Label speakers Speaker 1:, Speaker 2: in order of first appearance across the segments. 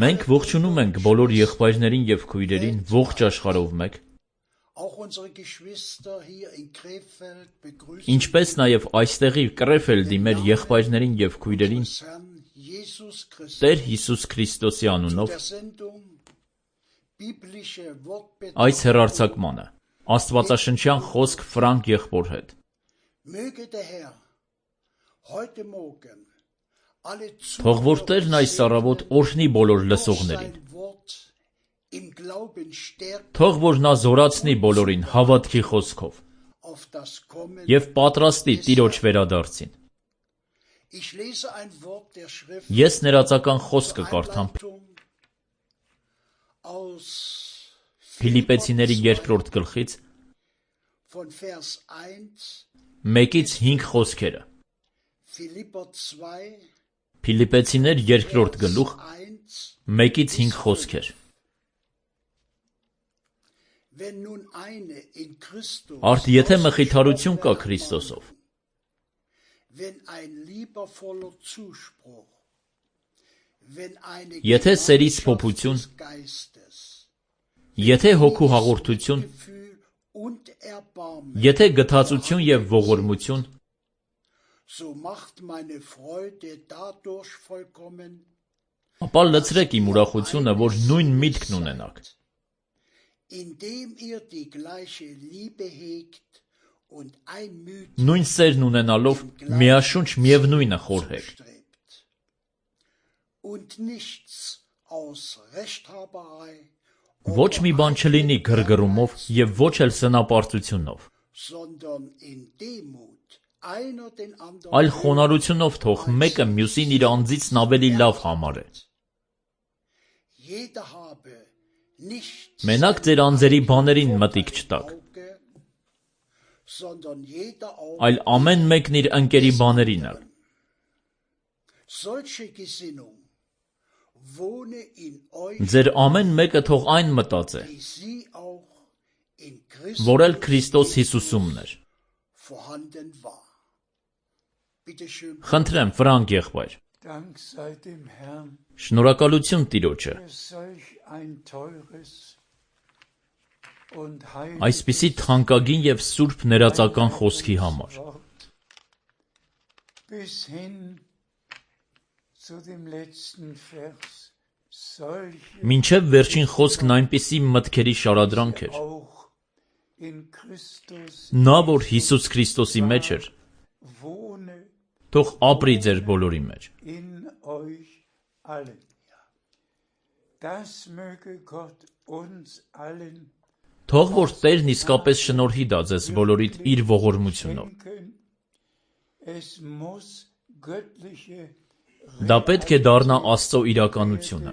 Speaker 1: Մենք ողջունում ենք բոլոր եղբայրներին և քույրերին ողջ աշխարհով մեկ, ինչպես նաև այստեղի Կրեֆելդի մեր եղբայրներին և քույրերին Տեր Հիսուս Քրիստոսի անունով այս հեռարձակմանը աստվածաշնչյան խոսք Ֆրանկ եղբոր հետ։ Թող որ Տերն այս առավոտ օրհնի բոլոր լսողներին։ Թող որ նա զորացնի բոլորին հավատքի խոսքով և պատրաստի Տիրոջ վերադարձին։ Ես ներածական խոսքը կարդամ Փիլիպպեցիների 2-րդ գլխից 1-5 խոսքերը։ Փիլիպպեցիներ 2-րդ գլուխ 1-5 խոսքեր։ Արդ եթե մխիթարություն կա Քրիստոսով, եթե սերից փոփություն, եթե հոգու հաղորդություն, եթե գթածություն և ողորմություն, ապա լցրեք իմ ուրախությունը, որ նույն միտքն ունենաք, նույն սերն ունենալով միաշունչ միևնույնը խորհեք։ Ոչ մի բան չլինի գրգռումով և ոչ էլ սնապարտությունով, այլ խոնարհությունով թող մեկը մյուսին իր անձիցն ավելի լավ համարե։ Մենակ ձեր անձերի բաներին մտիկ չտաք, այլ ամեն մեկն իր ընկերի բաներին էլ։ Ձեր ամեն մեկը թող այն մտածե, որ էլ Քրիստոս Հիսուսումն էր։ Խնդրեմ, Ֆրանկ եղբայր։ Շնորհակալություն Տիրոջը այսպիսի թանկագին և սուրբ ներածական խոսքի համար։ Մինչև վերջին խոսքն այնպիսի մտքերի շարադրանք էր։ Նա, որ Հիսուս Քրիստոսի մեջ էր, թող ապրի ձեր բոլորի մեջ։ Թող որ Տերն իսկապես շնորհի դա ձեզ բոլորիդ իր ողորմությունով։ Դա պետք է դառնա Աստծո իրականությունը։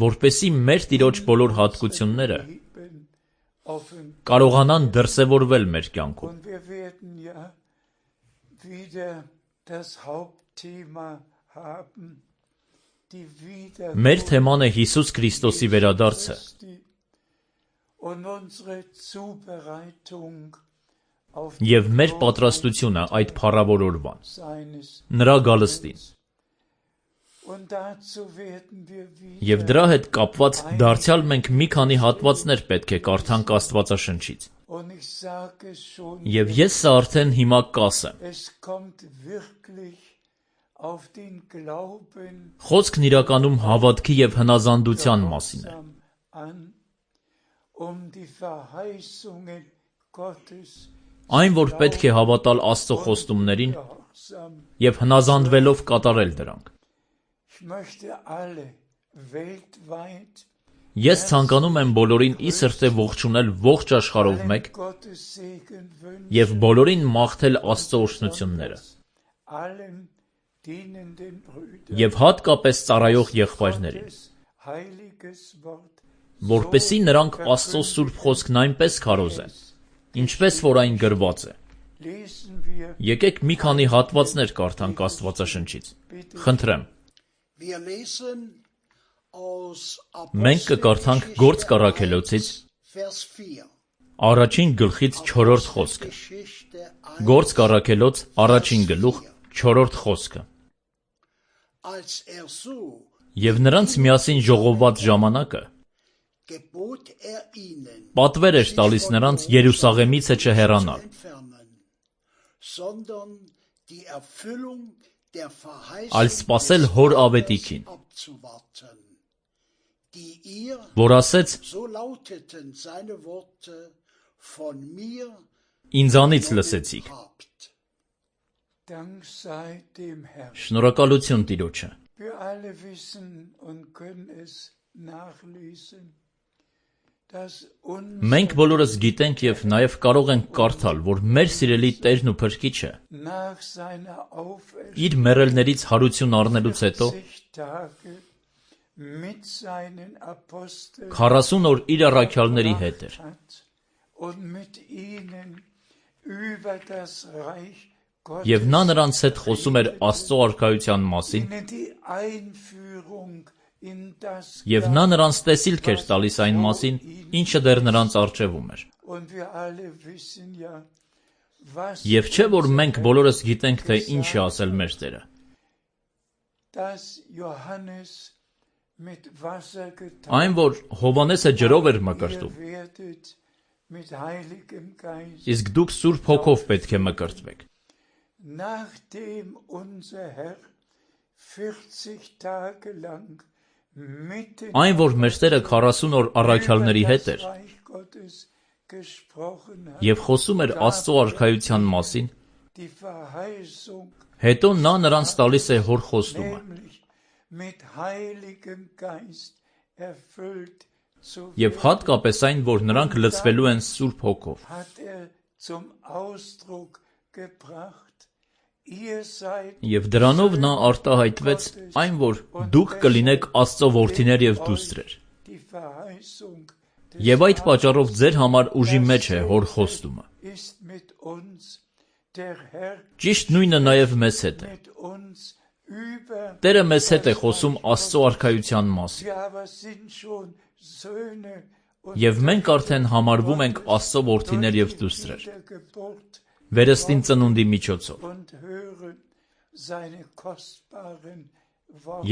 Speaker 1: Որպեսզի մեր Տիրոջ բոլոր հատկությունները կարողանան դրսևորվել մեր կյանքում։ Մեր թեման է Հիսուս Քրիստոսի վերադարձը և մեր պատրաստությունը այդ փառավոր օրվան, նրա գալստին։ Եվ դրա հետ կապված դարձյալ մենք մի քանի հատվածներ պետք է կարդանք Աստվածաշնչից։ Եվ ես սա արդեն հիմա կասեմ։ Խոսքն իրականում հավատքի և հնազանդության մասին է։ Այն, որ պետք է հավատալ Աստծո խոստումներին և հնազանդվելով կատարել դրանք։ Ես ցանկանում եմ բոլորին ի սրտե ողջունել ողջ աշխարհով մեկ և բոլորին մաղթել Աստծո օրհնությունները և հատկապես ծառայող եղբայրներին, որպեսզի նրանք Աստծո սուրբ խոսքն այնպես քարոզեն, ինչպես որ այն գրված է։ Եկեք մի քանի հատվածներ կարդանք Աստվածաշնչից։ Խնդրեմ։ Մենք կկարդանք Գործք առաքելոցից 1 գլխից 4 խոսքը։ Գործ կառաքելոց առաջին գլուխ 4-րդ խոսքը։ Եվ նրանց միասին ժողովված ժամանակը պատվեր էր տալիս նրանց Երուսաղեմից չհեռանալ, այլ սպասել հոր ավետիքին, որ ասեց. «Ինձանից լսեցիք»։ Շնորհակալություն Տիրոջը։ Մենք բոլորս գիտենք և նաև կարող ենք կարդալ, որ մեր սիրելի Տերն ու Փրկիչը իր մեռելներից հարություն առնելուց հետո 40 օր իր առաքյալների հետ էր։ Եվ նա նրանց հետ խոսում էր Աստծո արքայության մասին, և նա նրանց տեսիլք էր տալիս այն մասին, ինչը դեռ նրանց առջևում էր։ Եվ չէ՞ որ մենք բոլորս գիտենք, թե ինչ է ասել մեր Տերը։ Այն, որ Հովհաննեսը ջրով էր մկրտում, իսկ դուք Սուրբ Հոգով պետք է մկրտվեք։ Այն, որ մեր Տերը 40 օր առաքյալների հետ էր և խոսում էր Աստծո արքայության մասին, հետո նա նրանց տալիս է հոր խոստումը։ Եվ հատկապես այն, որ նրանք լցվելու են Սուրբ Հոգով։ Եվ դրանով նա արտահայտվեց այն, որ դուք կլինեք Աստծո որդիներ և դուստրեր։ Եվ այդ պատճառով ձեր համար ուժի մեջ է հոր խոստումը։ Ճիշտ նույնը նաև մեզ հետ է։ Տերը մեզ հետ է խոսում Աստծո արքայության մասին։ Եվ մենք արդեն համարվում ենք Աստծո որդիներ և դուստրեր, վերստին ծնունդի միջոցով։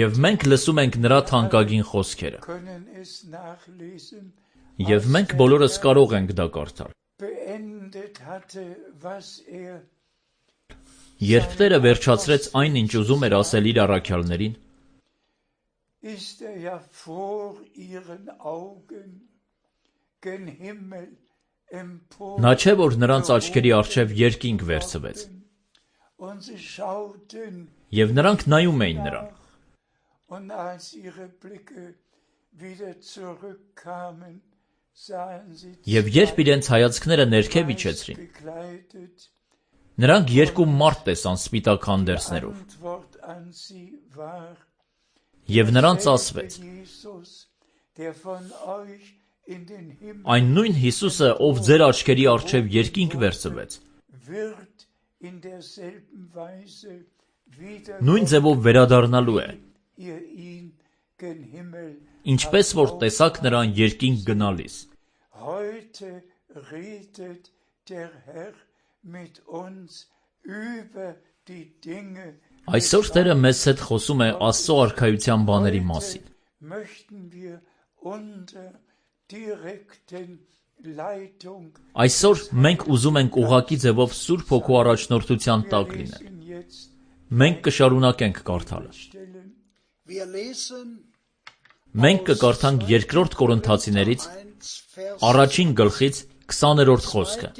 Speaker 1: Եվ մենք լսում ենք նրա թանկագին խոսքերը։ Եվ մենք բոլորս կարող ենք դա կարդալ։ Երբ Տերը վերջացրեց այն, ինչ ուզում էր ասել իր առաքյալներին, նա չէ, որ նրանց աչքերի առջև երկինք վերցվեց, և նրանք նայում էին նրան։ Եվ երբ իրենց հայացքները ներքև իջեցրին, նրանք երկու մարդ տեսան սպիտակ հանդերձներով։ Եվ նրանց ասվեց. «Այն նույն Հիսուսը, ով ձեր աչքերի առջև երկինք վերցվեց, նույն ձևով վերադառնալու է, ինչպես որ տեսաք նրան երկինք գնալիս»։ Այսօր Տերը մեզ հետ խոսում է Աստծո արքայության բաների մասին։ Այսօր մենք ուզում ենք ուղղակի ձևով Սուրբ Հոգու առաջնորդության տակ լինել։ Մենք կշարունակենք կարդալը։ Մենք կկարդանք 2 Կորինթացիներից առաջին գլխից 20-րդ խոսքը։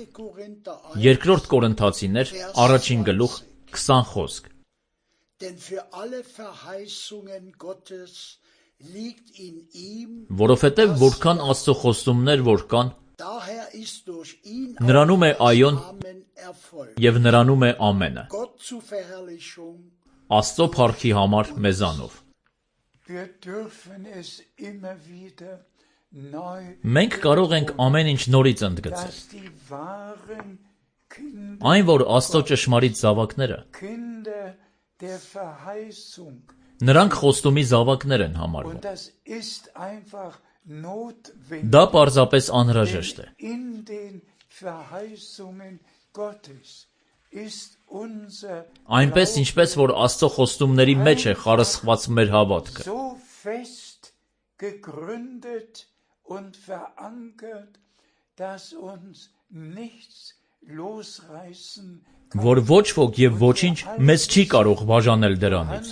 Speaker 1: 2 Կորինթացիներ առաջին գլուխ 20 խոսք։ Որովհետև որքան Աստծո խոստումներ որ կան, նրանում է այոն և նրանում է ամենը, Աստծո փառքի համար մեզանով։ Մենք կարող ենք ամեն ինչ նորից ընդգծել։ Այն, որ Աստծո ճշմարիտ զավակները, նրանք խոստումի զավակներ են համարվում։ Դա պարզապես անհրաժեշտ է։ Այնպես ինչպես որ Աստծո խոստումների մեջ է խարսխված մեր հավատքը, որ ոչ ոք և ոչինչ մեզ չի կարող բաժանել դրանից։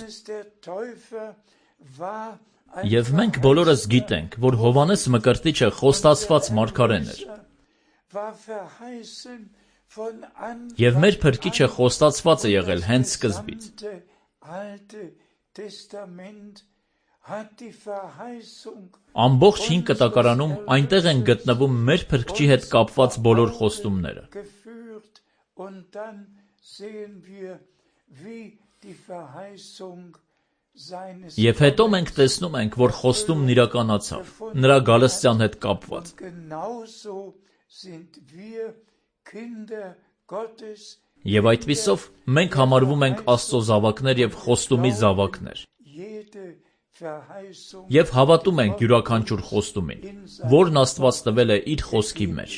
Speaker 1: Եվ մենք բոլորս գիտենք, որ Հովհաննես Մկրտիչը խոստացված մարգարեն էր։ Եվ մեր Փրկիչը խոստացված է եղել հենց սկզբից։ Ամբողջ Հին Կտակարանում այնտեղ են գտնվում մեր Փրկչի հետ կապված բոլոր խոստումները։ Եվ հետո մենք տեսնում ենք, որ խոստումն իրականացավ, նրա գալստյան հետ կապված։ Եվ այդպիսով մենք համարվում ենք Աստծո զավակներ և խոստումի զավակներ։ Եվ հավատում ենք յուրաքանչյուր խոստումին, որն Աստված տվել է իր խոսքի մեջ։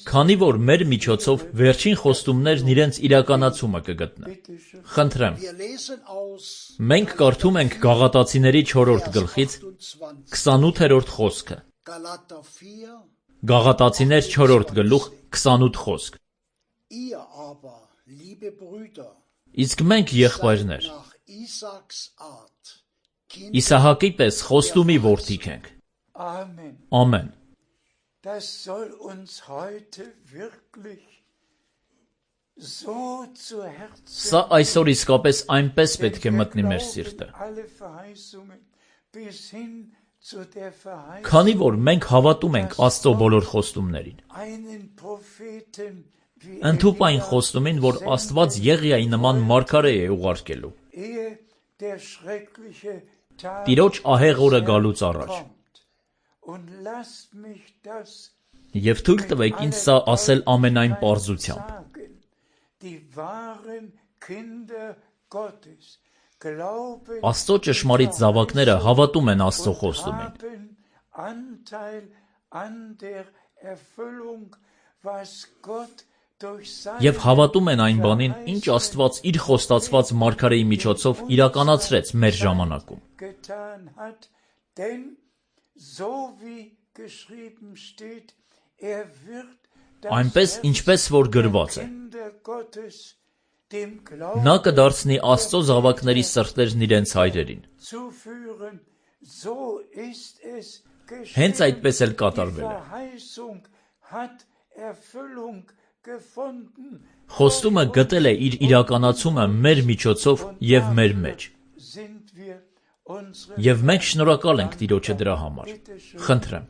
Speaker 1: Քանի որ մեր միջոցով վերջին խոստումներն իրենց իրականացումը կգտնեն։ Խնդրեմ, մենք կարդում ենք Գաղատացիների 4-րդ գլխից 28-րդ խոսքը։ Գաղատացիներ 4-րդ գլուխ 28 խոսք։ Իսկ մենք եղբայրներ, Իսահակի պես խոստումի որդիք ենք։ Ամեն։ Սա այսօր իսկապես այնպես պետք է մտնի մեր սիրտը։ Քանի որ մենք հավատում ենք Աստծո բոլոր խոստումներին։ Ընդհուպ այն խոստումին, որ Աստված Եղիայի նման մարգարե է ուղարկելու։ Տիրոջ ահեղ օրը գալուց առաջ։ Եվ թույլ տվեք ինձ սա ասել ամենայն պարզությամբ։ Աստծո ճշմարիտ զավակները հավատում են Աստծո խոստումին։ Եվ հավատում են այն բանին, ինչ Աստված իր խոստացված մարգարեի միջոցով իրականացրեց մեր ժամանակում։ Այնպես, ինչպես որ գրված է. Նա կդարձնի Աստծո զավակների սրտերն իրենց հայրերին։ Հենց այդպես էլ կատարվել է։ Խոստումը գտել է իր իրականացումը մեր միջոցով և մեր մեջ։ Եվ մենք շնորհակալ ենք Տիրոջը դրա համար։ Խնդրեմ։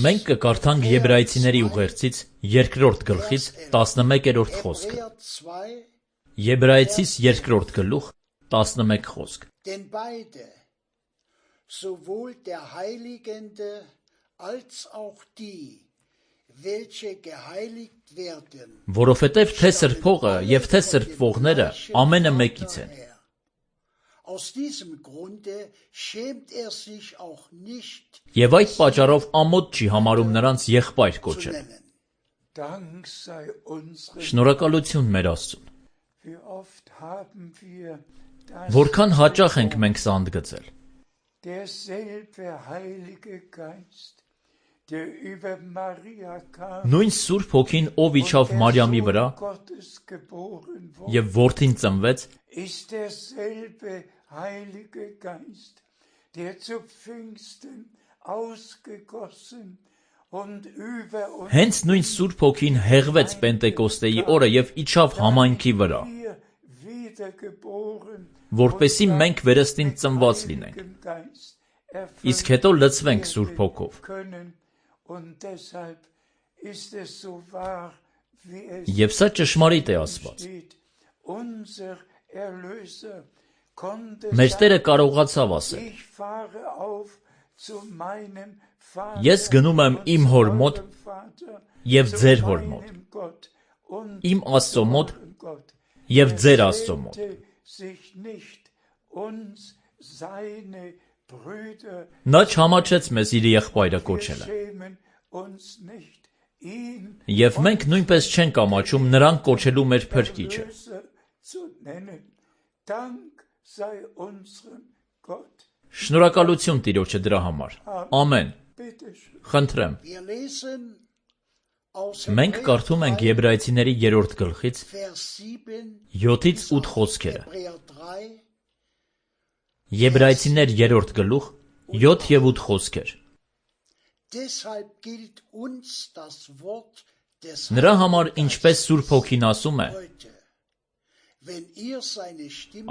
Speaker 1: Մենք կկարդանք Եբրայեցիների ուղերձից 2-րդ գլխից 11-րդ խոսքը։ Եբրայեցիս 2-րդ գլուխ 11 խոսք։
Speaker 2: Sowohl der Heiligende als auch die, welche geheiligt werden,
Speaker 1: որովհետև թե սրբողը և թե սրբվողները ամենը մեկից են։
Speaker 2: Aus diesem Grunde schämt sich auch nicht,
Speaker 1: Եվ այդ պատճառով ամոթ չի համարում նրանց եղբայր կոչել։ Շնորհակալություն մեր Աստծուն։ Որքան հաճախ ենք մենք սա ընդգծել։ Նույն Սուրբ Հոգին, ով իջավ Մարիամի վրա և որդին ծնվեց, հենց նույն Սուրբ Հոգին հեղվեց Պենտեկոստեի օրը և իջավ համայնքի վրա, որպեսզի մենք վերստին ծնված լինենք, իսկ հետո լցվենք Սուրբ Հոգով։ Եվ սա ճշմարիտ է ասված։ Մեր Տերը կարողացավ ասել. Ես գնում եմ իմ հոր մոտ և ձեր հոր մոտ, իմ Աստծո մոտ և ձեր Աստծո մոտ։ Նա չհամաչեց մեզ իր եղբայրը կոչելը։ Եվ մենք նույնպես չենք ամաչում նրան կոչելու մեր փրկիչը։ Շնորհակալություն Տիրոջը դրա համար։ Ամեն։ Խնդրեմ։ Մենք կարդում ենք Եբրայեցիների 3-րդ գլխից 7-ից 8 խոսքերը։ Եբրայեցիներ 3-րդ գլուխ 7 և 8 խոսքեր։ Նրա համար ինչպես Սուրբ Հոգին ասում է.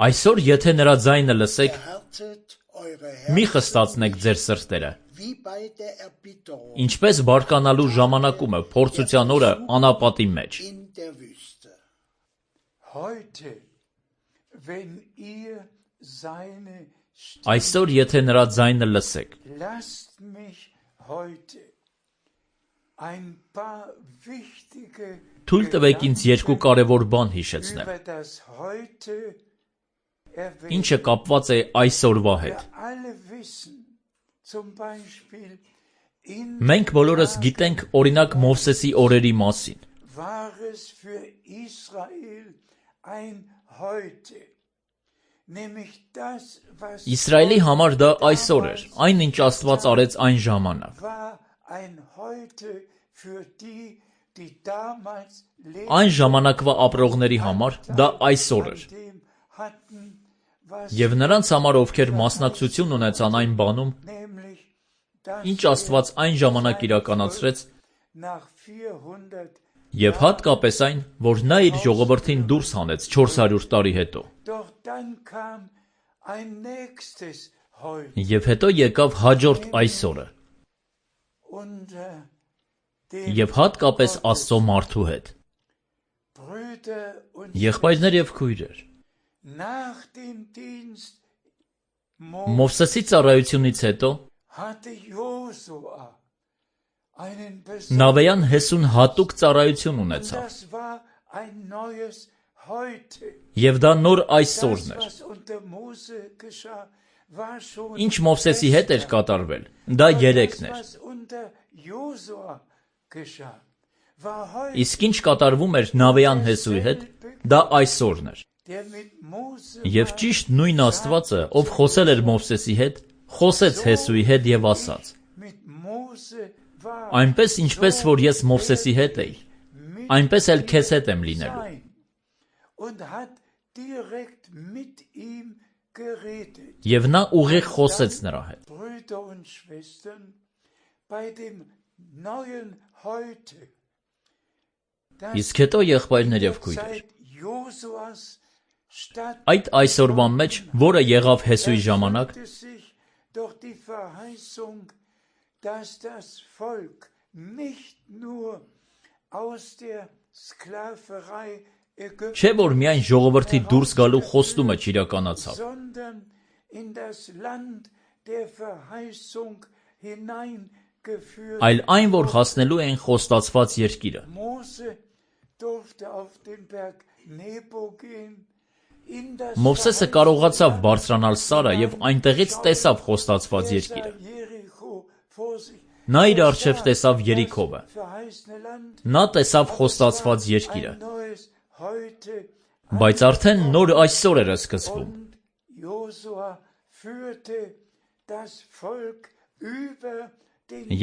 Speaker 1: այսօր եթե նրա ձայնը լսեք, մի խստացնեք ձեր սրտերը, ինչպես բարկանալու ժամանակումը փորձության օրը անապատի մեջ։ Այսօր եթե նրա ձայնը լսեք։ Թույլ տվեք ինձ երկու կարևոր բան հիշեցնել, ինչը կապված է այսօրվա հետ։ Մենք բոլորս գիտենք օրինակ Մովսեսի օրերի մասին։ Իսրայելի համար դա այսօր էր, այն ինչ Աստված արեց այն ժամանակ։ Այն ժամանակվա ապրողների համար դա այսօր էր։ Եվ նրանց համար, ովքեր մասնակցություն ունեցան այն բանում, ինչ Աստված այն ժամանակ իրականացրեց, և հատկապես այն, որ նա իր ժողովրդին դուրս հանեց 400 տարի հետո։ Եվ հետո եկավ հաջորդ այսօրը։ Եվ հատկապես Աստծո մարդու հետ։ Եղբայրներ և քույրեր, Մովսեսի ծառայությունից հետո Նավեյան Հեսուն հատուկ ծառայություն ունեցավ։ Եվ դա նոր այսօրն էր։ Ինչ Մովսեսի հետ էր կատարվել, դա երեքն էր։ Իսկ ինչ կատարվում էր Նավեյան Հեսուի հետ, դա այսօրն էր։ Եվ ճիշտ նույն Աստվածը, ով խոսել էր Մովսեսի հետ, խոսեց Հեսուի հետ և ասաց. այնպես ինչպես որ ես Մովսեսի հետ էի, այնպես էլ քեզ հետ եմ լինելու։ Եվ նա ուղիղ խոսեց նրա հետ։ Իսկ հետո եղբայրներ և քույրեր, այդ այսօրվա մեջ, որը եղավ Հեսուի ժամանակ, չէ որ միայն ժողովրդի դուրս գալու խոստումը չիրականացավ, այլ այն, որ հասնելու էին խոստացված երկիրը։ Մովսեսը կարողացավ բարձրանալ Սարը և այնտեղից տեսավ խոստացված երկիրը։ Նա իր առջև տեսավ Երիքովը։ Նա տեսավ խոստացված երկիրը։ Բայց արդեն նոր այսօր էր սկսվում։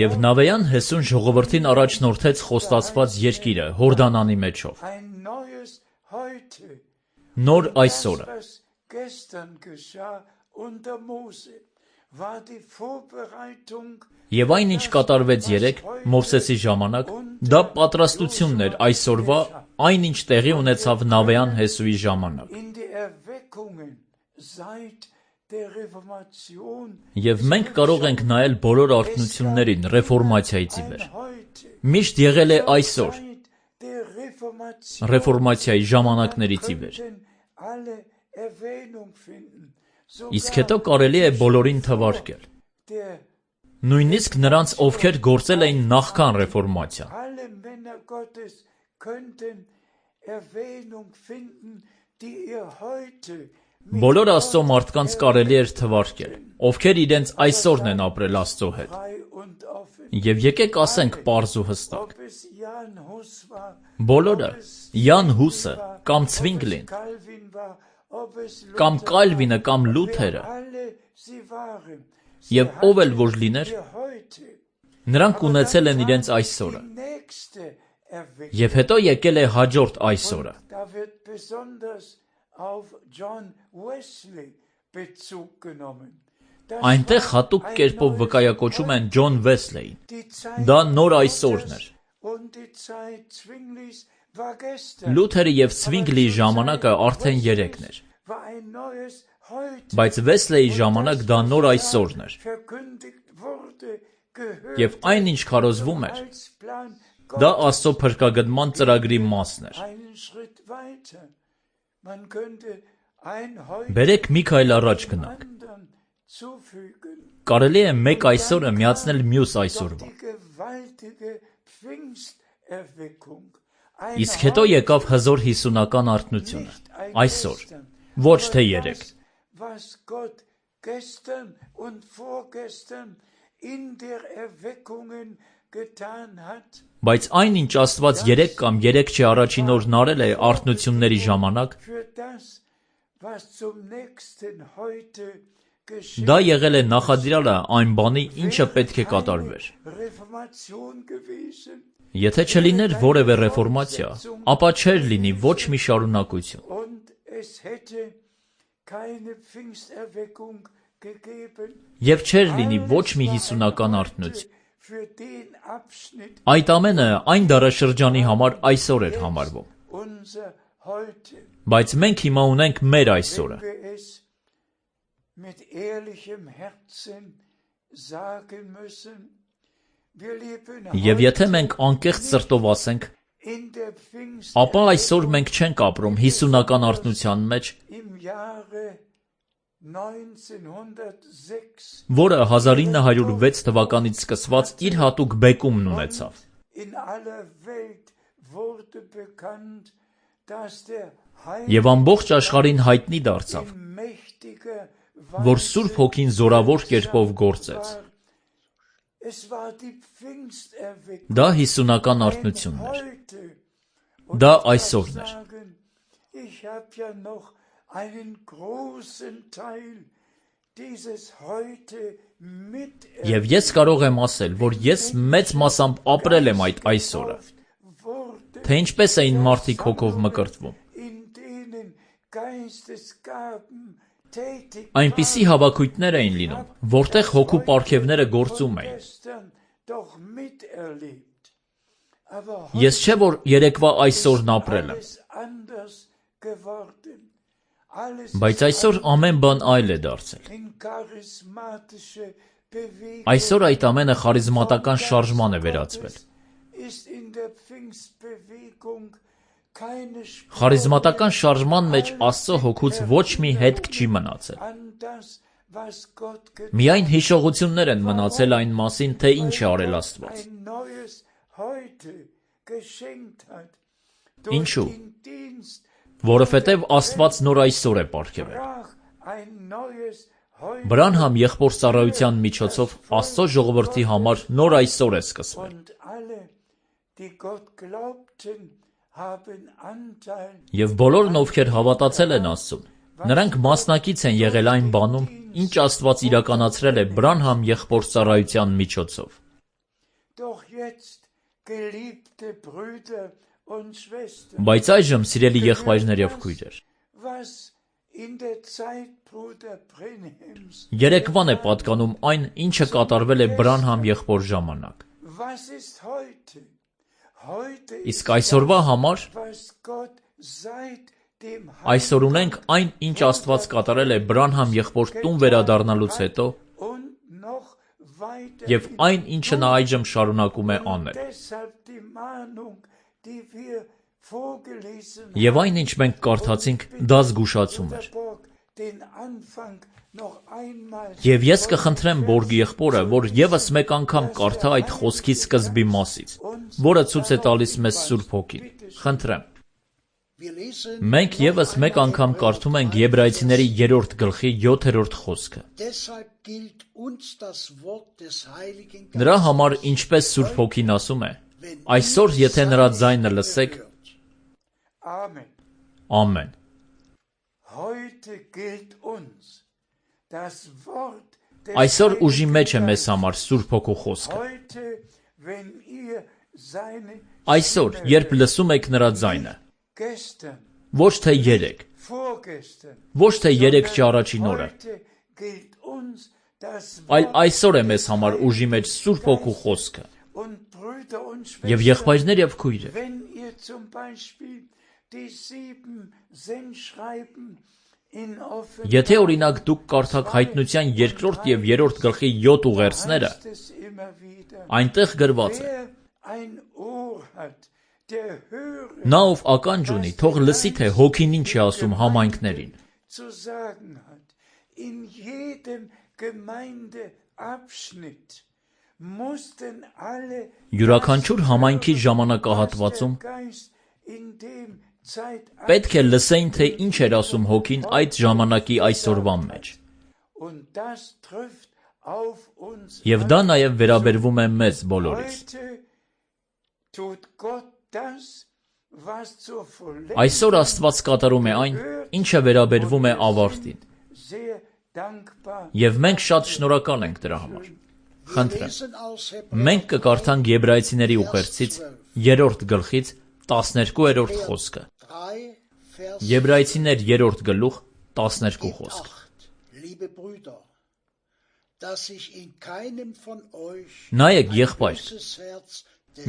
Speaker 1: Եվ Նավեյան Հեսուն ժողովրդին առաջնորդեց խոստացված երկիրը Հորդանանի մեջով։ Նոր այսօրը։ Եվ այն ինչ կատարվեց երեկ Մովսեսի ժամանակ, դա պատրաստությունն էր այսօրվա, այն ինչ տեղի ունեցավ Նավեյան Հեսուի ժամանակ։ Եվ մենք կարող ենք նայել բոլոր արթնություններին ռեֆորմացիայից ի վեր։ Միշտ եղել է այսօր, ռեֆորմացիայի ժամանակներից ի վեր։ Իսկ հետո կարելի է բոլորին թվարկել։ Նույնիսկ նրանց, ովքեր գործել էին նախքան ռեֆորմացիան։ Բոլոր Աստծո մարդկանց կարելի էր թվարկել, ովքեր իրենց այսօրն են ապրել Աստծո հետ։ Եվ եկեք ասենք պարզ ու հստակ. բոլորը, Յան Հուսը, կամ Ցվինգլին, կամ Կալվինը, կամ Լութերը, եւ ով էլ որ լիներ, նրանք ունեցել են իրենց այսօրը։ Եվ հետո եկել է հաջորդ այսօրը։ Այնտեղ հատուկ կերպով վկայակոչում են Ջոն Վեսլեին։ Դա նոր այսօրն էր։ Լութերի եւ Ցվինգլիի ժամանակը արդեն 3 էր։ Բայց Վեսլեի ժամանակ դա նոր այսօրն էր։ Եվ այն ինչ քարոզվում էր, դա Աստծո փրկագնման ծրագրի մասն էր։ Բերեք մի քայլ առաջ գնանք։ Կարելի է մեկ այսօրը միացնել մյուս այսօրվա։ Իսկ հետո եկավ հզոր հիսունական արթնությունը, այսօր, ոչ թե 3։ Բայց այն, ինչ Աստված 3 կամ 3 առաջին օրն արել է արթնությունների ժամանակ, դա եղել է նախադրյալը այն բանի, ինչը պետք է կատարվեր։ Եթե չլիներ որևէ ռեֆորմացիա, ապա չէր լինի ոչ մի շարունակություն։ Եվ չէր լինի ոչ մի հիսունական արթնություն։ Այդ ամենը այն դարաշրջանի համար այսօր էր համարվում։ Բայց մենք հիմա ունենք մեր այսօրը։ Եվ եթե մենք անկեղծ սրտով ասենք, ապա այսօր մենք չենք ապրում հիսունական արթնության մեջ, որը 1906 թվականից սկսված իր հատուկ բեկումն ունեցավ։ Եվ ամբողջ աշխարհին հայտնի դարձավ, որ Սուրբ Հոգին զորավոր կերպով գործեց։ Դա հիսունական արթնությունն էր։ Դա այսօրն էր։ Եվ ես կարող եմ ասել, որ ես մեծ մասամբ ապրել եմ այդ այսօրը, թե ինչպես էին մարդիկ հոգով մկրտվում։ Այնպիսի հավաքույթներ էին լինում, որտեղ հոգու պարգևները գործում էին։ Ես չէ, որ երեկվա այսօրն ապրել եմ։ Բայց այսօր ամեն բան այլ է դարձել։ Այսօր այդ ամենը խարիզմատական շարժման է վերածվել։ Խարիզմատական շարժման մեջ Աստծո հոգուց ոչ մի հետք չի մնացել։ Միայն հիշողություններ են մնացել այն մասին, թե ինչ է արել Աստված։ Ինչու՞։ Որովհետև Աստված նոր այսօր է պարգևել։ Բրանհամ եղբոր ծառայության միջոցով Աստծո ժողովրդի համար նոր այսօր է սկսվել։ Եվ բոլորն, ովքեր հավատացել են Աստծուն, նրանք մասնակից են եղել այն բանում, ինչ Աստված իրականացրել է Բրանհամ եղբոր ծառայության միջոցով։ Բայց այժմ, սիրելի եղբայրներ եւ քույրեր, երեկվան է պատկանում այն, ինչը կատարվել է Բրանհամ եղբոր ժամանակ։ Իսկ այսօրվա համար այսօր ունենք այն, ինչ Աստված կատարել է Բրանհամ եղբոր տուն վերադառնալուց հետո, եւ այն, ինչը նա այժմ շարունակում է անել։ Եվ այն, ինչ մենք կարդացինք, դա զգուշացում էր։ Եվ ես կխնդրեմ Բորգ եղբորը, որ եւս մեկ անգամ կարդա այդ խոսքի սկզբի մասից, որը ցույց է տալիս մեզ Սուրբ Հոգին։ Խնդրեմ։ Մենք ևս մեկ անգամ կարդում ենք Եբրայեցիների 3-րդ գլխի 7-րդ խոսքը։ Նրա համար ինչպես Սուրբ Հոգին ասում է. այսօր եթե նրա ձայնը լսեք, ամեն։ Այսօր ուժի մեջ է մեզ համար Սուրբ Հոգու խոսքը։ Այսօր, երբ լսում եք նրա ձայնը, ոչ թե երեկ, ոչ թե երեքչի առաջին օրը, այլ այսօր է մեզ համար ուժի մեջ Սուրբ Հոգու խոսքը։ Եվ եղբայրներ եւ քույրեր, եթե օրինակ դուք կարդաք Հայտնության 2-րդ եւ 3-րդ գլխի 7 ուղերձները, այնտեղ գրված է. նա ով ականջ ունի, թող լսի, թե Հոգին ինչ է ասում համայնքներին։ Յուրաքանչյուր համայնքի ժամանակահատվածում պետք է լսեին, թե ինչ էր ասում Հոգին այդ ժամանակի այսօրվան մեջ։ Եվ դա նաև վերաբերվում է մեզ բոլորիս։ Այսօր Աստված կատարում է այն, ինչը վերաբերվում է ավարտին։ Եվ մենք շատ շնորհակալ ենք դրա համար։ Խնդրեմ, մենք կկարդանք Եբրայեցիների ուղերձից 3-րդ գլխից 12-րդ խոսքը։ Եբրայեցիներ 3-րդ գլուխ 12 խոսք։ Նայեք, եղբայր,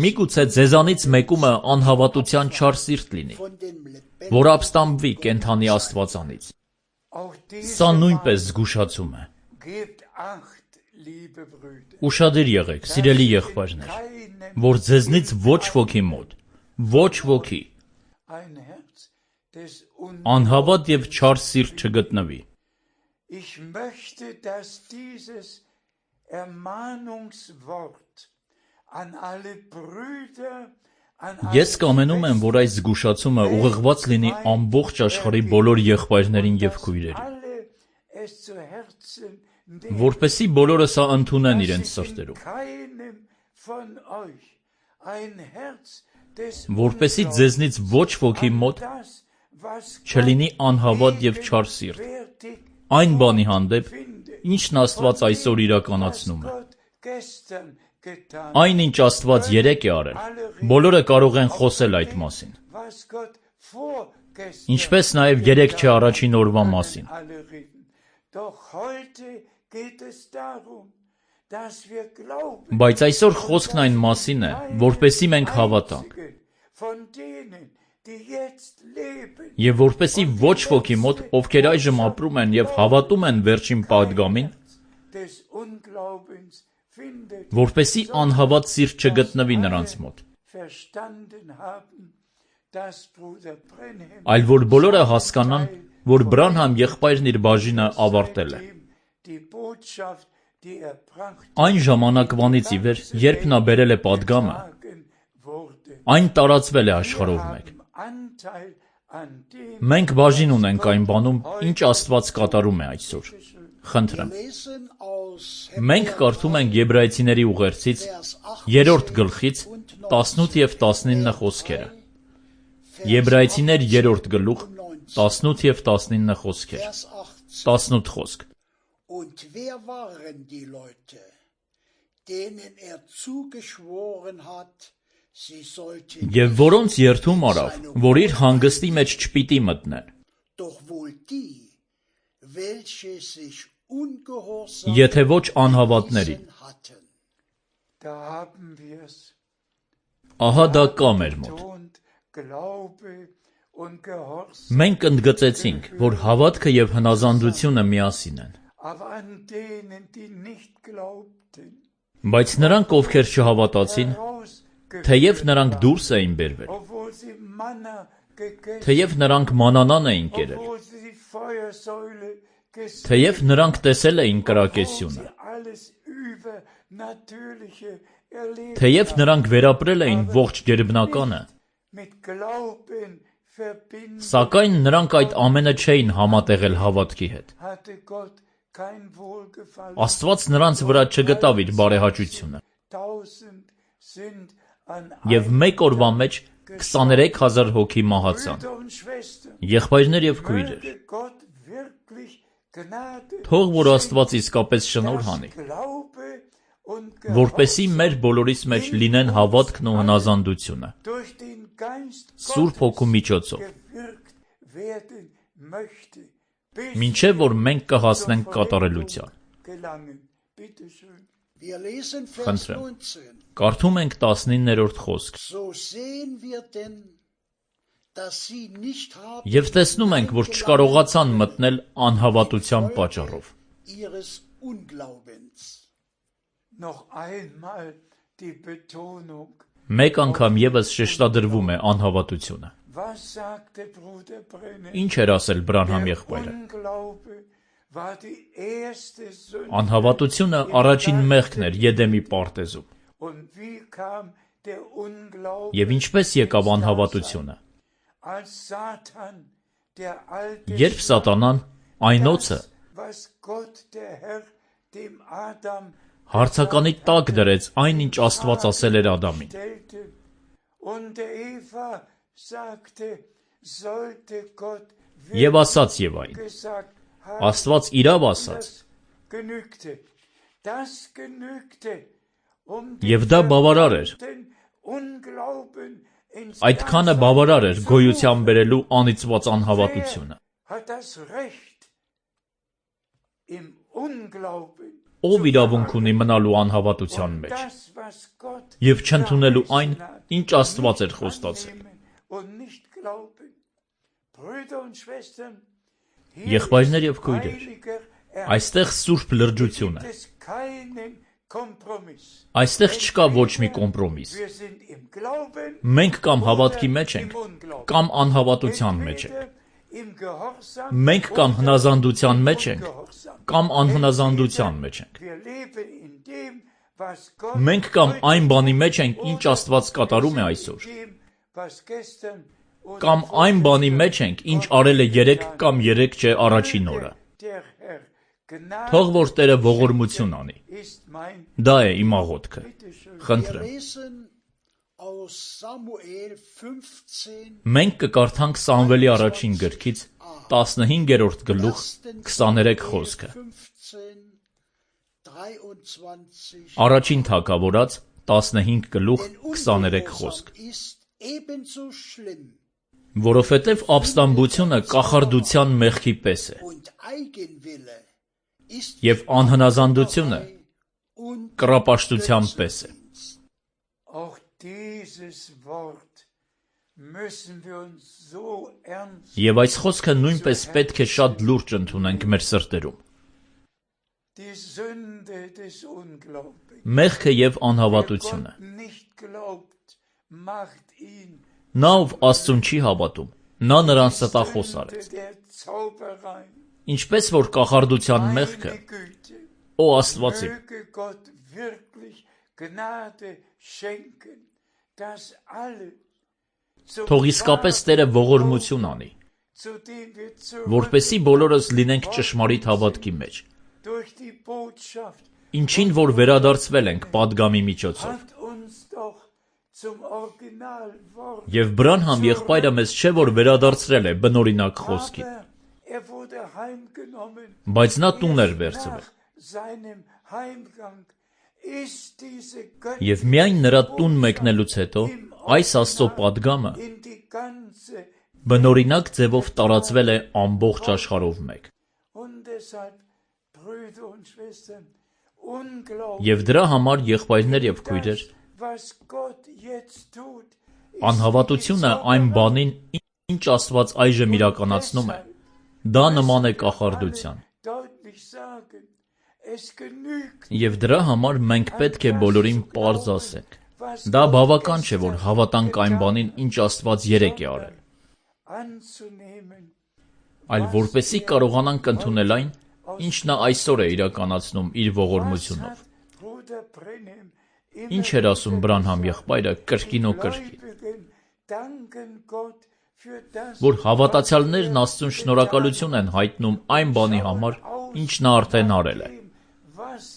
Speaker 1: միգուցե ձեզանից մեկումը անհավատության չար սիրտ լինի, որ ապստամբվի կենդանի Աստվածանից։ Սա նույնպես զգուշացում է։ Ուշադիր եղեք, սիրելի եղբայրներ, որ ձեզնից ոչ ոքի մոտ, ոչ ոքի անհավատ և չար սիրտ չգտնվի։ Ես կամենում եմ, որ այս զգուշացումը ուղղված լինի ամբողջ աշխարհի բոլոր եղբայրներին և քույրերին, որպեսզի բոլորը սա ընդունեն իրենց սրտերում, որպեսզի ձեզնից ոչ ոքի մոտ չլինի անհավատ և չար սիրտ, այն բանի հանդեպ, ինչն Աստված այսօր իրականացնում է։ Այն, ինչ Աստված երեկ է արել, բոլորը կարող են խոսել այդ մասին, ինչպես նաև երեքչի առաջին օրվա մասին։ Բայց այսօր խոսքն այն մասին է, որպեսզի մենք հավատանք, և որպեսզի ոչ ոքի մոտ, ովքեր այժմ ապրում են և հավատում են վերջին պատգամին, որպեսզի անհավատ սիրտ չգտնվի նրանց մոտ, այլ որ բոլորը հասկանան, որ Բրանհամ եղբայրն իր բաժինը ավարտել է։ Այն ժամանակվանից ի վեր, երբ նա բերել է պատգամը, այն տարածվել է աշխարհով մեկ։ Մենք բաժին ունենք այն բանում, ինչ Աստված կատարում է այսօր։ Խնդրեմ, մենք կարդում ենք Եբրայեցիների ուղերձից 3-րդ գլխից 18 և 19 խոսքերը։ Եբրայեցիներ 3-րդ գլուխ 18 և 19 խոսքեր։ 18 խոսք։
Speaker 2: Und wer waren die Leute, denen zugeschworen hat, sie sollten
Speaker 1: Եվ որոնց երդում արավ, որ իր հանգստի մեջ չպիտի մտնեն։
Speaker 2: Doch wohl die, welche sich ungehorsam
Speaker 1: Եթե ոչ անհավատներին։
Speaker 2: hatten.
Speaker 1: Ահա դա կա մեր մոտ։ Մենք ընդգծեցինք, որ հավատքը և հնազանդությունը միասին են։ Բայց նրանք, ովքեր չհավատացին, թեև նրանք դուրս էին բերվել, թեև նրանք մանանան էին կերել, թեև նրանք տեսել էին կրակեսյունը, թեև նրանք վերապրել էին ողջ գերբնականը, Սակայն նրանք այդ ամենը չէին համատեղել հավատքի հետ։ Աստված նրանց վրա չգտավ իր բարեհաճությունը։ Եվ մեկ օրվա մեջ 23,000 հոգի մահացան։ Եղբայրներ եւ քույրեր, թող որ Աստված իսկապես շնորհ անի, որպեսզի մեր բոլորիս մեջ լինեն հավատքն ու հնազանդությունը Սուրբ Հոգու միջոցով, մինչև որ մենք կհասնենք կատարելության։ Խնդրեմ, կարդում ենք 19-րդ խոսք։ Եվ տեսնում ենք, որ չկարողացան մտնել անհավատության պատճառով։ Մեկ անգամ ևս շեշտադրվում է անհավատությունը։ Ինչ էր ասել Բրանհամ եղբայրը։ Անհավատությունը առաջին մեղքն էր Եդեմի պարտեզում։ Եվ ինչպես եկավ անհավատությունը։ Երբ Սատանան, այն օձը, հարցականի տակ դրեց այն, ինչ Աստված ասել էր Ադամին։ Եվ ասաց Եվային, Աստված իրավ ասաց, եւ դա բավարար էր։ Այդքանը բավարար էր գոյության բերելու անիծված անհավատությունը։ Ով իրավունք ունի մնալու անհավատության մեջ եւ չընդունելու այն, ինչ Աստված էր խոստացել։ Եղբայրներ եւ քույրեր, այստեղ սուրբ լրջություն է։ Այստեղ չկա ոչ մի կոմպրոմիս։ Մենք կամ հավատքի մեջ ենք, կամ անհավատության մեջ ենք։ Մենք կամ հնազանդության մեջ ենք, կամ անհնազանդության մեջ ենք։ Մենք կամ այն բանի մեջ ենք, ինչ Աստված կատարում է այսօր, կամ այն բանի մեջ ենք, ինչ արել է 3 կամ 3 չէ առաջին օրը։ Թող որ Տերը ողորմություն անի։ Դա է իմ աղոթքը։ Խնդրեմ։ Մենք կկարդանք Սամվելի առաջին գրքից 15-րդ գլուխ 23 խոսքը։ Առաջին թագավորաց 15 գլուխ 23 խոսք։ Որովհետև ապստամբությունը կախարդության մեղքի պես է, եւ անհնազանդությունը կռապաշտության պես է։ Եվ այս խոսքը նույնպես պետք է շատ լուրջ ընդունենք մեր սրտերում։ Մեղքը եւ անհավատությունը։ Նա, ով Աստծուն չի հավատում, նա նրան ստախոս արեց։ Ինչպես որ կախարդության մեղքը, Օ Աստված իմ, թող իսկապես Տերը ողորմություն անի, որպեսզի բոլորս լինենք ճշմարիտ հավատքի մեջ, ինչին որ վերադարձվել ենք պատգամի միջոցով։ Եվ Բրանհամ եղբայրը մեզ չէ որ վերադարձրել է բնօրինակ խոսքին, բայց նա տուն էր վերցվել։ Եվ միայն նրա տուն մեկնելուց հետո այս Աստծո պատգամը բնօրինակ ձևով տարածվել է ամբողջ աշխարհով մեկ։ Եվ դրա համար եղբայրներ եւ քույրեր, անհավատությունը այն բանին, ինչ Աստված այժմ իրականացնում է, դա նման է կախարդության։ Եվ դրա համար մենք պետք է բոլորին պարզ ասենք։ Դա բավական չէ, որ հավատանք այն բանին, ինչ Աստված երեկ է արել, այլ որպեսզի կարողանանք ընդունել այն, ինչ նա այսօր է իրականացնում իր ողորմությունով։ Ինչ էր ասում Բրանհամ եղբայրը կրկին ու կրկին։ որ հավատացյալներն Աստծուն շնորհակալություն են հայտնում այն բանի համար, ինչ նա արդեն արել է,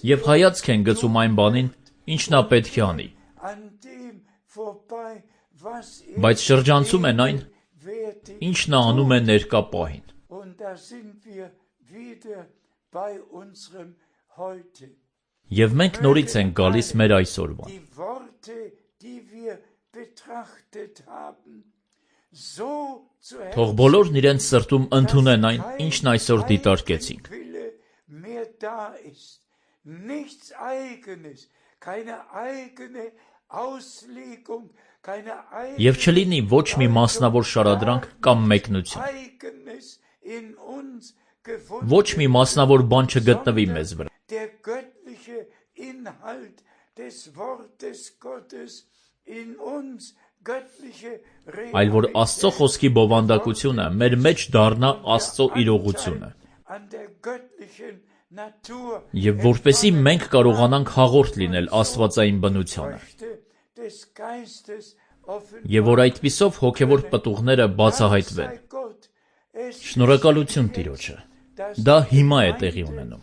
Speaker 1: եւ հայացք են գցում այն բանին, ինչ նա պետք է անի, բայց շրջանցում են այն, ինչ նա անում է ներկա պահին։ Եվ մենք նորից ենք գալիս մեր այսօրվան։ Թող բոլորն իրենց սրտում ընդունեն այն, ինչն այսօր դիտարկեցինք։ Եվ չլինի ոչ մի մասնավոր շարադրանք կամ մեկնություն։ Ոչ մի մասնավոր բան չգտնվի մեզ վրա։ Այլ որ Աստծո խոսքի բովանդակությունը մեր մեջ դառնա Աստծո իրողությունը։ Եվ որպեսզի մենք կարողանանք հաղորդ լինել աստվածային բնությանը։ Եվ որ այդպիսով հոգևոր պտուղները բացահայտվեն։ Շնորհակալություն Տիրոջը։ Դա հիմա է տեղի ունենում։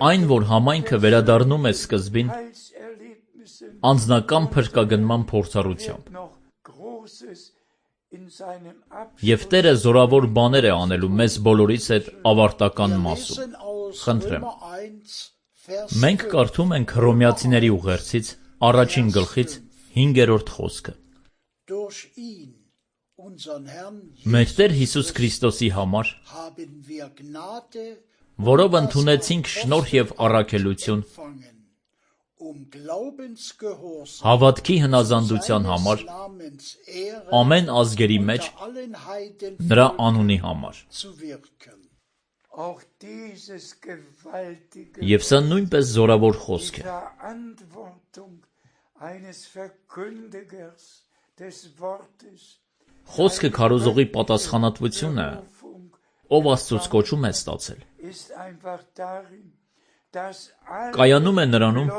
Speaker 1: Այն, որ համայնքը վերադառնում է սկզբին, անձնական փրկագնման փորձառությամբ։ Եվ Տերը զորավոր բաներ է անելու մեզ բոլորիս հետ ավարտական մասում։ Խնդրեմ։ Մենք կարդում ենք Հռոմեացիների ուղերձից առաջին գլխից 5-րդ խոսքը։ Մեր Տեր Հիսուս Քրիստոսի համար, որով ընդունեցինք շնորհ եւ առաքելություն, հավատքի հնազանդության համար, ամեն ազգերի մեջ, նրա անունի համար։ Եվ սա նույնպես զորավոր խոսք է։ Խոսքը քարոզողի պատասխանատվությունը, ով Աստծուց կոչում է ստացել, կայանում է նրանում,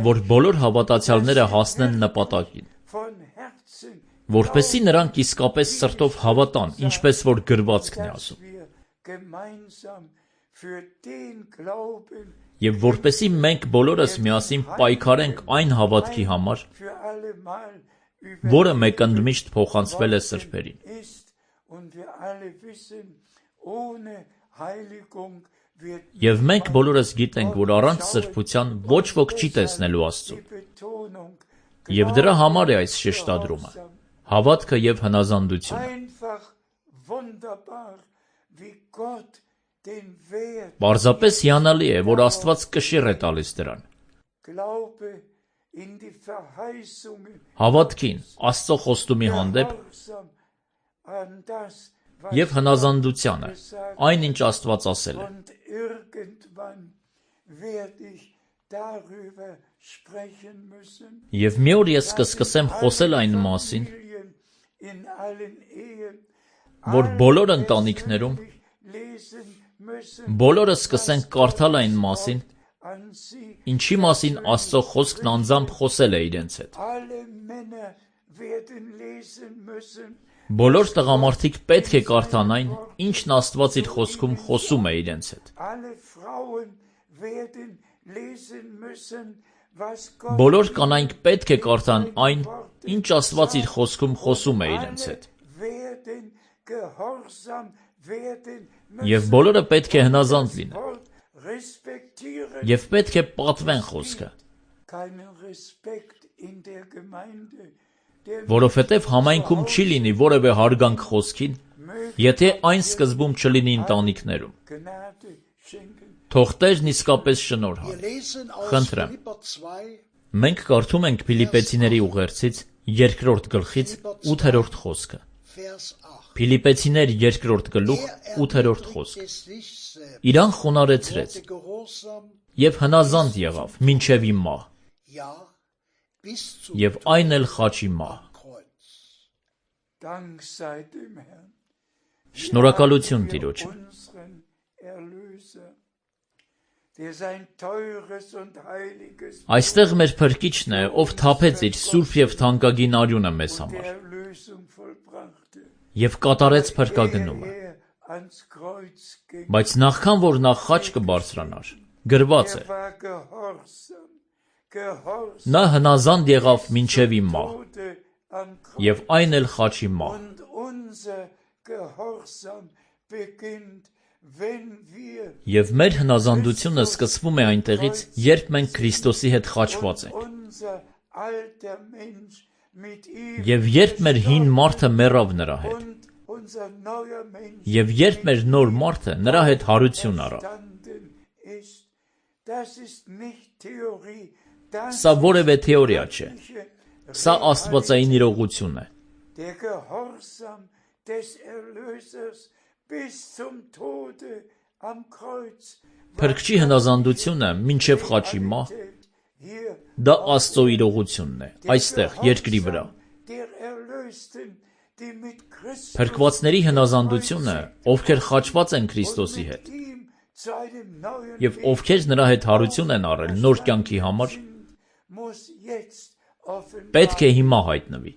Speaker 1: որ բոլոր հավատացյալները հասնեն նպատակին, որպեսզի նրանք իսկապես սրտով հավատան, ինչպես որ գրվածքն է ասում, եւ որպեսզի մենք բոլորս միասին պայքարենք այն հավատքի համար, որը մեկընդմիշտ փոխանցվել է սրբերին։ Եվ մենք բոլորս գիտենք, որ առանց սրբության ոչ ոք չի տեսնելու Աստծուն։ Եվ դրա համար է այս շեշտադրումը, հավատքը եւ հնազանդությունը։ Պարզապես հիանալի է, որ Աստված կշիռ է տալիս դրան։ Հավատքին, Աստծո խոստումի հանդեպ եւ հնազանդությանը, այն ինչ Աստված ասել է։ Եվ մի օր ես կսկսեմ խոսել այն մասին, որ բոլոր ընտանիքներում բոլորը սկսեն կարդալ այն մասին, ինչի մասին Աստծո խոսքն անձամբ խոսել է իրենց հետ։ Բոլոր տղամարդիկ պետք է կարդան այն, ինչն Աստված իր խոսքում խոսում է իրենց հետ։ Բոլոր կանայք պետք է կարդան այն, ինչ Աստված իր խոսքում խոսում է իրենց հետ։ Եվ բոլորը պետք է հնազանդ լինեն։ Եվ պետք է պատվեն խոսքը։ Որովհետև համայնքում չի լինի որևէ հարգանք խոսքին, եթե այն սկզբում չլինի ընտանիքներում։ Թող Տերն իսկապես շնորհ անի։ Խնդրեմ։ Մենք կարդում ենք Փիլիպեցիների ուղերձից 2-րդ գլխից 8-րդ խոսքը։ Փիլիպեցիներ 2-րդ գլուխ 8-րդ խոսք։ Իրան խոնարհեցրեց եւ հնազանդ եղավ մինչեւ իմ մահ։ Եվ այն էլ խաչի մահ։ Շնորհակալություն Տիրոջը։ Այստեղ մեր Փրկիչն է, ով թափեց իր սուրբ եւ թանկագին արյունը մեզ համար եւ կատարեց փրկագնումը։ Բայց նախքան որ նա խաչ կբարձրանար, գրված է. նա հնազանդ եղավ մինչև իմ մահ, եւ այն էլ խաչի մահ։ Եվ մեր հնազանդությունը սկսվում է այնտեղից, երբ մենք Քրիստոսի հետ խաչված ենք։ Եվ երբ մեր հին մարդը մեռավ նրա հետ, եւ երբ մեր նոր մարդը նրա հետ հարություն առավ։ Սա որևէ թեորիա չէ։ Սա աստվածային իրողություն է։ Փրկչի հնազանդությունը մինչև խաչի մահ, դա Աստծո իրողությունն է, այստեղ, երկրի վրա։ Փրկվածների հնազանդությունը, ովքեր խաչված են Քրիստոսի հետ, եւ ովքեր նրա հետ հարություն են առել նոր կյանքի համար, պետք է հիմա հայտնվի։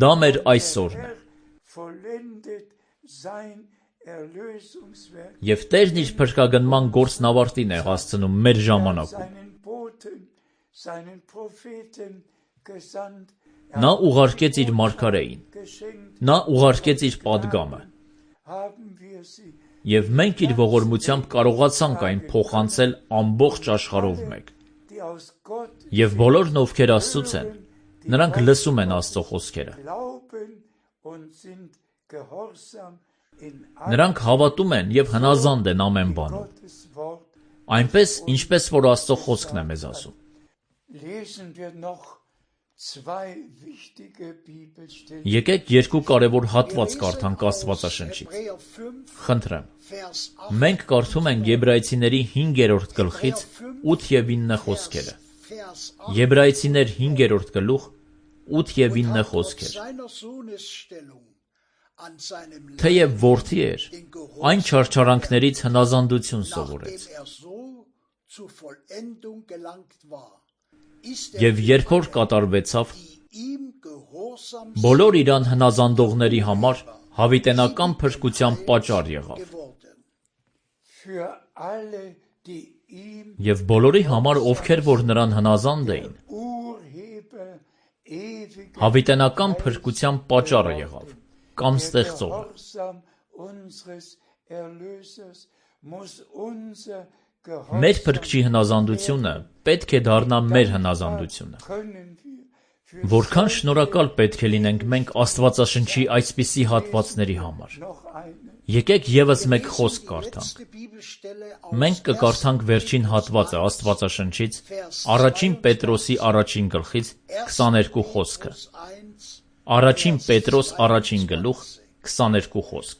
Speaker 1: Դա մեր այսօրն է։ Եվ Տերն իր փրկագնման գործն ավարտին է հասցնում մեր ժամանակում։ Նա ուղարկեց իր մարգարեին, նա ուղարկեց իր պատգամը, եւ մենք իր ողորմությամբ կարողացանք այն փոխանցել ամբողջ աշխարհով մեկ։ Եվ բոլորն, ովքեր Աստծուց են, նրանք լսում են Աստծո խոսքերը։ Նրանք հավատում են եւ հնազանդ են ամեն բանում, այնպես, ինչպես որ Աստծո խոսքն է մեզ ասում։ Եկեք երկու կարևոր հատված կարդանք Աստվածաշնչից։ Խնդրեմ։ Մենք կարդում ենք Եբրայեցիների 5-րդ գլխից 8 եւ 9 խոսքերը։ Եբրայեցիներ 5-րդ գլուխ 8 եւ 9 խոսքեր։ Թեև որդի էր, այն չարչարանքներից հնազանդություն սովորեց։ Եվ երբ որ կատարվեցավ, բոլոր իրան հնազանդողների համար հավիտենական փրկության պատճառ եղավ։ Եվ բոլորի համար, ովքեր որ նրան հնազանդ էին, հավիտենական փրկության պատճառը եղավ, կամ ստեղծողը։ Մեր Փրկչի հնազանդությունը պետք է դառնա մեր հնազանդությունը։ Որքան շնորհակալ պետք է լինենք մենք Աստվածաշնչի այսպիսի հատվածների համար։ Եկեք եւս մեկ խոսք կարդանք։ Մենք կկարդանք վերջին հատվածը Աստվածաշնչից, Առաջին Պետրոսի առաջին գլխից 22 խոսքը։ Առաջին Պետրոս առաջին գլուխ 22 խոսք։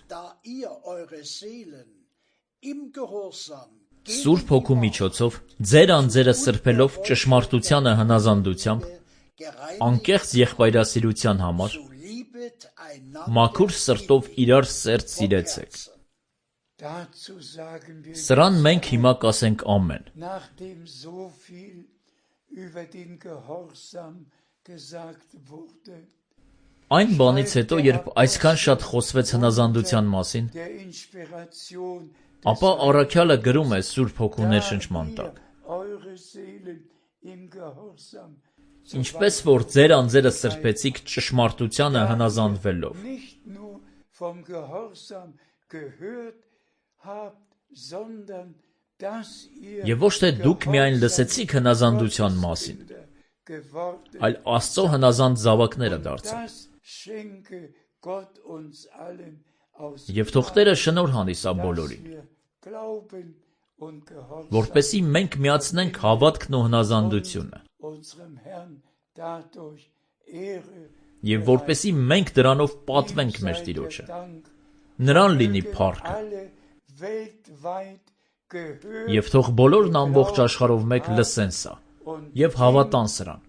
Speaker 1: Սուրբ Հոգու միջոցով ձեր անձերը սրբելով ճշմարտությանը հնազանդությամբ, անկեղծ եղբայրասիրության համար, մաքուր սրտով իրար սերտ սիրեցեք։ Սրան մենք հիմա կասենք ամեն։ Այն բանից հետո, երբ այսքան շատ խոսվեց հնազանդության մասին, ապա առաքյալը գրում է Սուրբ Հոգու ներշնչման տակ. ինչպես որ ձեր անձերը սրբեցիք ճշմարտությանը հնազանդվելով։ Եվ ոչ թե դուք միայն լսեցիք հնազանդության մասին, այլ Աստծո հնազանդ զավակները դարձաք։ Եվ թող Տերը շնորհ հանի սա բոլորին, որպեսզի մենք միացնենք հավատքն ու հնազանդությունը, եւ որպեսզի մենք դրանով պատվենք մեր Տիրոջը։ Նրան լինի փառքը։ Եվ թող բոլորն ամբողջ աշխարհով մեկ լսեն սա եւ հավատան սրան։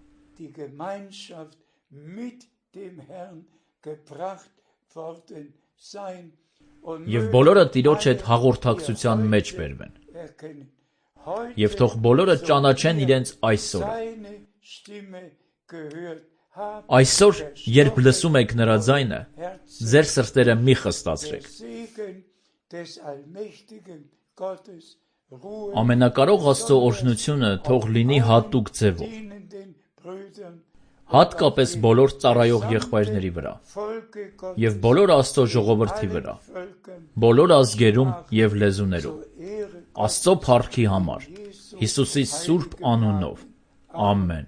Speaker 1: Եվ բոլորը Տիրոջ հետ հաղորդակցության մեջ բերվեն։ Եվ թող բոլորը ճանաչեն իրենց այսօրը։ Այսօր, երբ լսում եք նրա ձայնը, ձեր սրտերը մի խստացրեք։ Ամենակարող Աստծո օրհնությունը թող լինի հատուկ ձևով, հատկապես բոլոր ծառայող եղբայրների վրա և բոլոր Աստծո ժողովրդի վրա, բոլոր ազգերում և լեզուներում, Աստծո փառքի համար, Հիսուսի սուրբ անունով, ամեն։